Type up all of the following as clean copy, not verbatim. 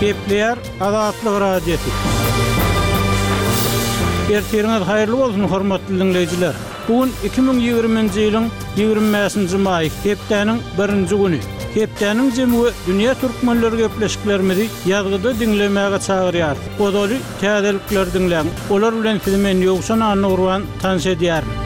Gepleýär Azatlyk Radiosy. Ertiriňiz haýyrly bolsun, hormatly diňleýjiler! Bu gün 2020-nji ýylyň 25-nji maýy, hepdäniň birinji güni. Hepdäniň jemi we dünýä türkmenleri gepleşiklerimizi ýazgyda diňlemäge çagyrýarys. Ozaly täzelikleri diňläň. Olar bilen sizi men Ýowşan Annagurban tanyş edýärin.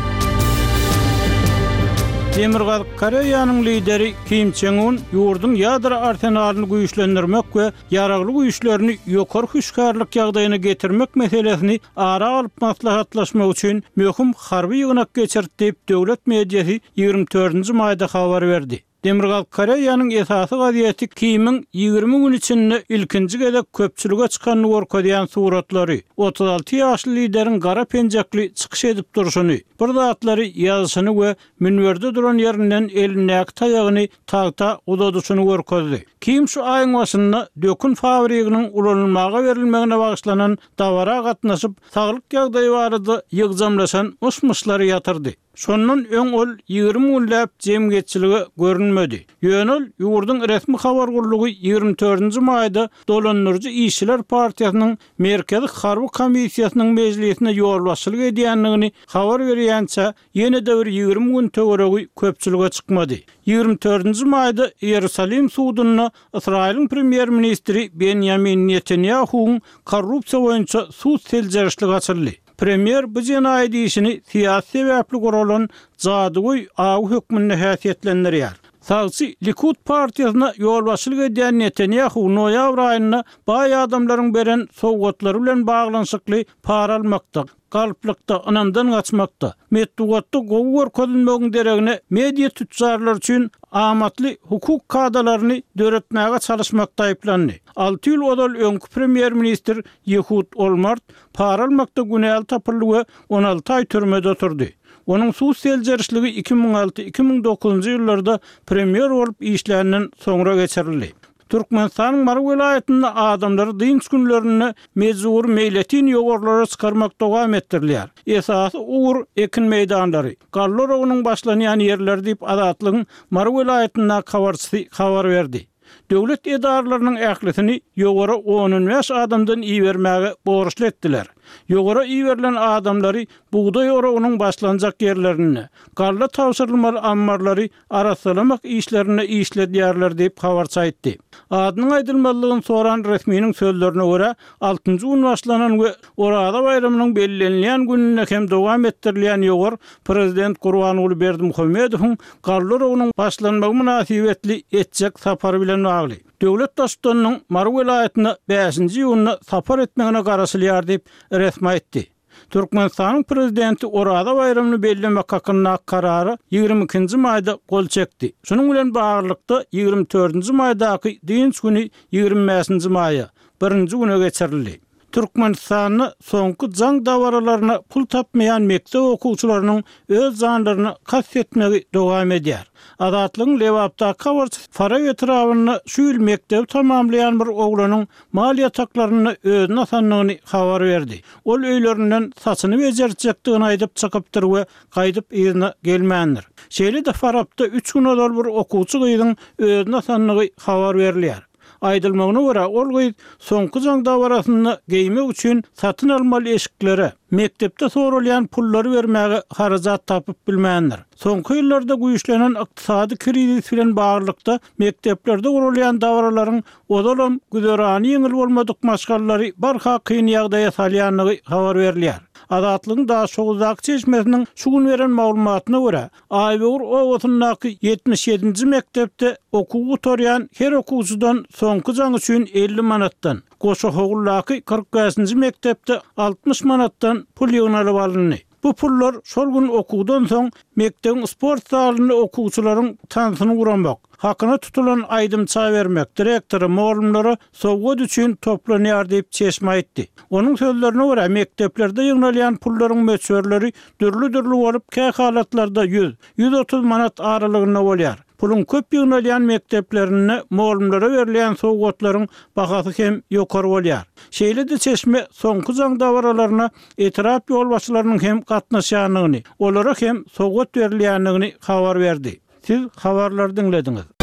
Demirgazyk Koreýanyň lideri Kim Çen Un ýurduň ýadro arsenalyny güýçlendirmek we ýaragly güýçlerini ýokary hüşgärlik ýagdaýyna getirmek meselesini ara alyp maslahatlaşmak üçin möhüm harby ýygnak geçirdi diýip, döwlet mediasy 24-nji maýda habar berdi. Demirgazyk Koreýanyň esasy gazeti Kimiň 20 gün içinde ilkinji gezek köpçülige çykanyny görkezýän suratlary, 36 ýaşly lideriň gara penjekli çykyş edip durşuny, bir zatlary ýazyşyny we münberde duran ýerinden elindäki taýagyny tagta uzadyşyny görkezdi. Kim şu aýyň başynda dökün fabriginiň ulanylmaga berilmegine bagyşlanan dabara gatnaşyp, saglyk ýagdaýy barada ýygjamlaşan myş-myşlary ýatyrdy. Şondan öň ol 20 günläp jemgyýetçilige görünmedi. Ýöne ol ýurduň resmi habar gullugy 24-nji maýda dolandyryjy Işçiler partiýasynyň Merkezi harby komissiýasynyň mejlisine ýolbaşçylyk edýändigini habar berýänçä ýene-de bir 20 gün töweregi köpçülige çykmady. 24-nji maýda Iýerusalim sudunda Ysraýylyň premýer-ministri Benýamin Netanýahuwyň korrupsiýa boýunça sud seljerişligi açyldy. Premýer bu jenaýat işini syýasy sebäpli guralan jadygöý awy hökmünde häsiýetlendirýär. Sagçy Likud partiýasyna ýolbaşçylyk edýän Netanýahu noýabr aýynda baý adamlaryň beren sowgatlary bilen baglanyşykly para almakda, galplykda, ynamdan gaçmakda, metbugatda gowy görkezilmegiň deregine media tüçjarlary üçin amatly hukuk kadalaryny döretmäge çalyşmakda aýyplandy. Alty ýyl ozal öňki premýer-ministr Ýehud Olmart Para almakda günäli tapyldy we 16 aý türmede oturdy. Onuň sud seljerişligi 2006, 2009-njy ýyllarda premýer bolup işländen soňra geçirildi. Türkmenistanyň Mary welaýatynda adamlary dynç günlerinde mejbury meýletin ýowarlara çykarmak dowam etdirilýär. Esasy ugur ekin meýdanlary, galla oragynyň başlanýan ýerleri diýip, Azatlygyň Mary welaýatyndaky habarçysy habar berdi. Döwlet edaralarynyň ählisini ýowara on-on bäş adamdan ibermäge borçly etdiler. Ýowara iberilen adamlary bugdaý oragynyň başlanjak ýerlerinde, galla tabşyrylmaly ammarlary arassalamak işlerinde işledýärler diýip, habarçy aýtdy. Adynyň aýdylmazlygyny soran resminiň sözlerine görä, altynjy gün başlanan we Oraza baýramynyň bellenilýän gününde hem dowam etdirilýän ýowar prezident Gurbanguly Berdimuhamedowyň galla oragynyň başlanmagy mynasybetli etjek sapary bilen bagly. Döwlet Baştutanynyň Mary welaýatyna bäşinji iýunda sapar etmegine garaşylýar diýip, resmi aýtdy. Türkmenistanyň Prezidenti Oraza baýramyny bellemek hakyndaky Karara 22-nji maýda gol çekdi. Şunuň bilen baglylykda, 24-nji maýdaky dynç güni 25-nji maýa, birinji güne geçirildi. Türkmenistanda soňky jaň dabaralaryna pul tapmaýan mekdep okuwçylarynyň öz janlaryna kast etmegi dowam edýär. Azatlygyň Lebapdaky habarçysy Farap etrabynda şu ýyl mekdebi tamamlaýan bir oglanyň mal ýataklarynda özüni asandygyny habar berdi. Ol öýlerinden saçyny bejertjekdigini aýdyp çykypdyr we gaýdyp yzyna gelmändir. Şeýle-de Farapda üç gün ozal bir okuwçy gyzyň özüni asandygy habar berilýär. Aýdylmagyna görä, ol gyz soňky jaň dabarasynda geýmek üçin satyn almaly eşiklere, mekdepde soralýan pullary bermäge harajat tapyp bilmändir. Soňky ýyllarda güýçlenen ykdysady krizis bilen baglylykda mekdeplerde guralýan dabaralaryň ozalam güzerany ýeňil bolmadyk maşgalalary barha kyn ýagdaýa salýandygy habar berilýär. Azatlygyň Daşoguzdaky çeşmesiniň şu gün beren maglumatyna görä, Aýböwür obasyndaky 77-nji mekdepde okuw gutarýan her okuwçydan soňky jaň üçin 50 manatdan, Goşahowuldaky 45-nji mekdepde 60 manatdan pul ýygnalyp alyndy. Bu pullar şol gün okuwdan soň mekdebiň sport zalynda okuwçylaryň tansyny guramak, hakyna tutulan aýdymça bermek, direktora, mugallymlara sowgat üçin toplanýar diýip, çeşme aýtdy. Onuň sözlerine görä, mekdeplerde ýygnalýan pullaryň möçberleri dürli-dürli bolup, kähalatlarda 100, 130 manat aralygynda bolýar. Puluň köp ýygnalýan mekdeplerinde mugallymlara berilýän sowgatlaryň bahasy hem ýokary bolýar. Şeýle-de çeşme soňky jaň dabaralaryna etrap ýolbaşçylarynyň hem gatnaşýandygyny, olara hem sowgat berilýändigini habar berdi. Siz habarlary diňlediňiz.